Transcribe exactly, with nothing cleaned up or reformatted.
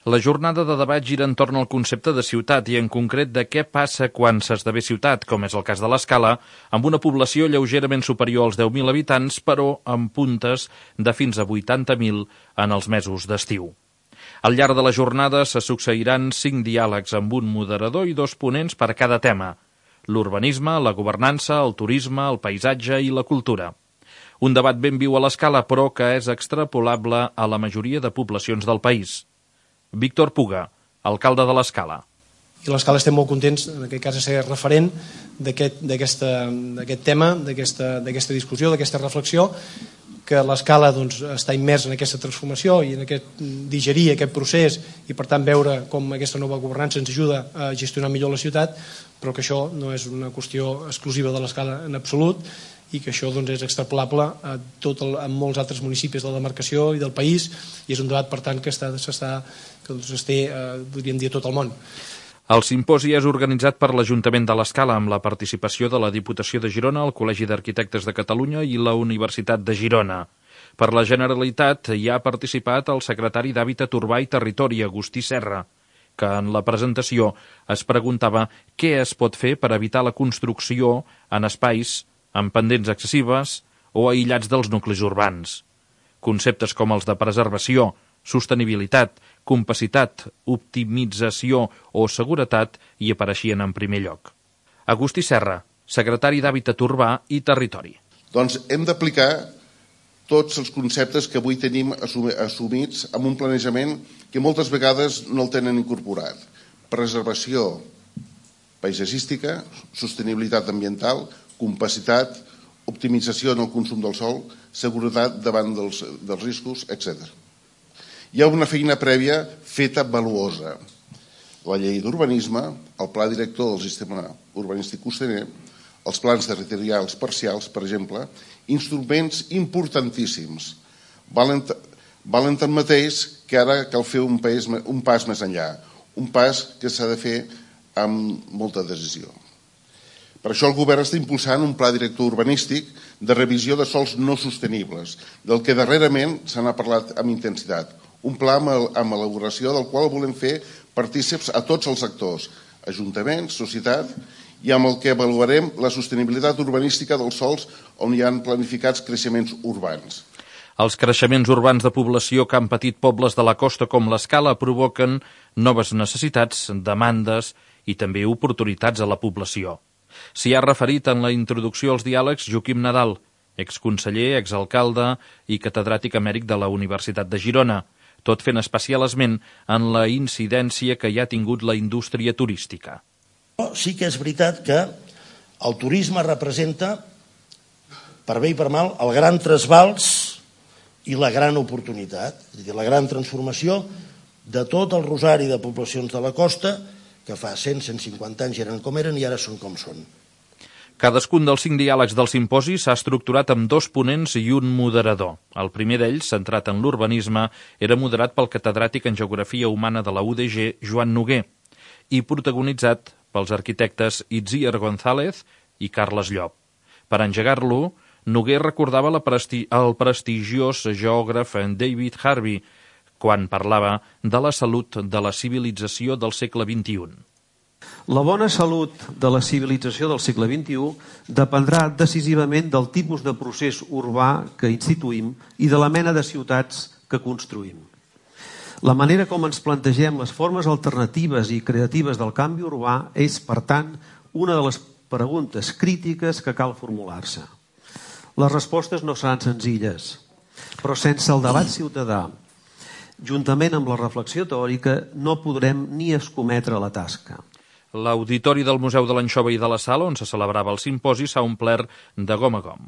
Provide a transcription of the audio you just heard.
La jornada de debat gira entorn al concepte de ciutat i en concret de què passa quan s'esdevé ciutat, com és el cas de l'Escala, amb una població lleugerament superior als deu mil habitants, però amb puntes de fins a vuitanta mil en els mesos d'estiu. Al llarg de la jornada se succeiran cinc diàlegs amb un moderador i dos ponents per a cada tema: l'urbanisme, la governança, el turisme, el paisatge i la cultura. Un debat ben viu a l'Escala, però que és extrapolable a la majoria de poblacions del país. Víctor Puga, alcalde de l'Escala. I a l'Escala estem molt contents, en aquest cas, de ser referent d'aquest tema, d'aquesta discussió, d'aquesta reflexió, que l'Escala doncs, està immers en aquesta transformació i en aquest digerir aquest procés i, per tant, veure com aquesta nova governança ens ajuda a gestionar millor la ciutat, però que això no és una qüestió exclusiva de l'Escala en absolut i que això doncs, és extrapolable a, tot el, a molts altres municipis de la demarcació i del país, i és un debat, per tant, que està, s'està, que doncs, es té, eh, podríem dir, a tot el món. El simposi és organitzat per l'Ajuntament de l'Escala amb la participació de la Diputació de Girona, el Col·legi d'Arquitectes de Catalunya i la Universitat de Girona. Per la Generalitat hi ha participat el secretari d'Hàbitat Urbà i Territori, Agustí Serra, que en la presentació es preguntava què es pot fer per evitar la construcció en espais amb pendents excessives o aïllats dels nuclis urbans. Conceptes com els de preservació, sostenibilitat, compacitat, optimització o seguretat hi apareixien en primer lloc. Agustí Serra, secretari d'Hàbitat Urbà i Territori. Doncs hem d'aplicar tots els conceptes que avui tenim assumits amb un planejament que moltes vegades no el tenen incorporat. Preservació paisatgística, sostenibilitat ambiental, compacitat, optimització en el consum del sòl, seguretat davant dels, dels riscos, etcètera. Hi ha una feina prèvia feta valuosa. La llei d'urbanisme, el pla director del sistema urbanístic costaner, els plans territorials parcials, per exemple, instruments importantíssims. Valen, valen tanmateix que ara cal fer un pas, un pas més enllà, un pas que s'ha de fer amb molta decisió. Per això el govern està impulsant un pla director urbanístic de revisió de sòls no sostenibles, del que darrerament se n'ha parlat amb intensitat. Un pla amb elaboració del qual volem fer partícips a tots els actors, ajuntaments, societat, i amb el que avaluarem la sostenibilitat urbanística dels sòls on hi ha planificats creixements urbans. Els creixements urbans de població que han patit pobles de la costa com l'Escala provoquen noves necessitats, demandes i també oportunitats a la població. S'hi ha referit en la introducció als diàlegs Joaquim Nadal, exconseller, exalcalde i catedràtic emèrit de la Universitat de Girona, tot fent especial esment en la incidència que hi ha tingut la indústria turística. Sí que és veritat que el turisme representa, per bé i per mal, el gran trasbals i la gran oportunitat, és a dir, la gran transformació de tot el rosari de poblacions de la costa que fa cent a cent cinquanta anys eren com eren i ara són com són. Cadascun dels cinc diàlegs del simposi s'ha estructurat amb dos ponents i un moderador. El primer d'ells, centrat en l'urbanisme, era moderat pel catedràtic en Geografia Humana de la U D G, Joan Noguer, i protagonitzat pels arquitectes Itziar González i Carles Llop. Per engegar-lo, Noguer recordava la presti el prestigiós geògraf David Harvey, quan parlava de la salut de la civilització del segle vint-i-un. La bona salut de la civilització del segle vint-i-u dependrà decisivament del tipus de procés urbà que instituïm i de la mena de ciutats que construïm. La manera com ens plantegem les formes alternatives i creatives del canvi urbà és, per tant, una de les preguntes crítiques que cal formular-se. Les respostes no seran senzilles, però sense el debat ciutadà, juntament amb la reflexió teòrica, no podrem ni escometre la tasca. L'auditori del Museu de l'Anxova i de la Sala, on se celebrava el simposi, s'ha omplert de gom a gom.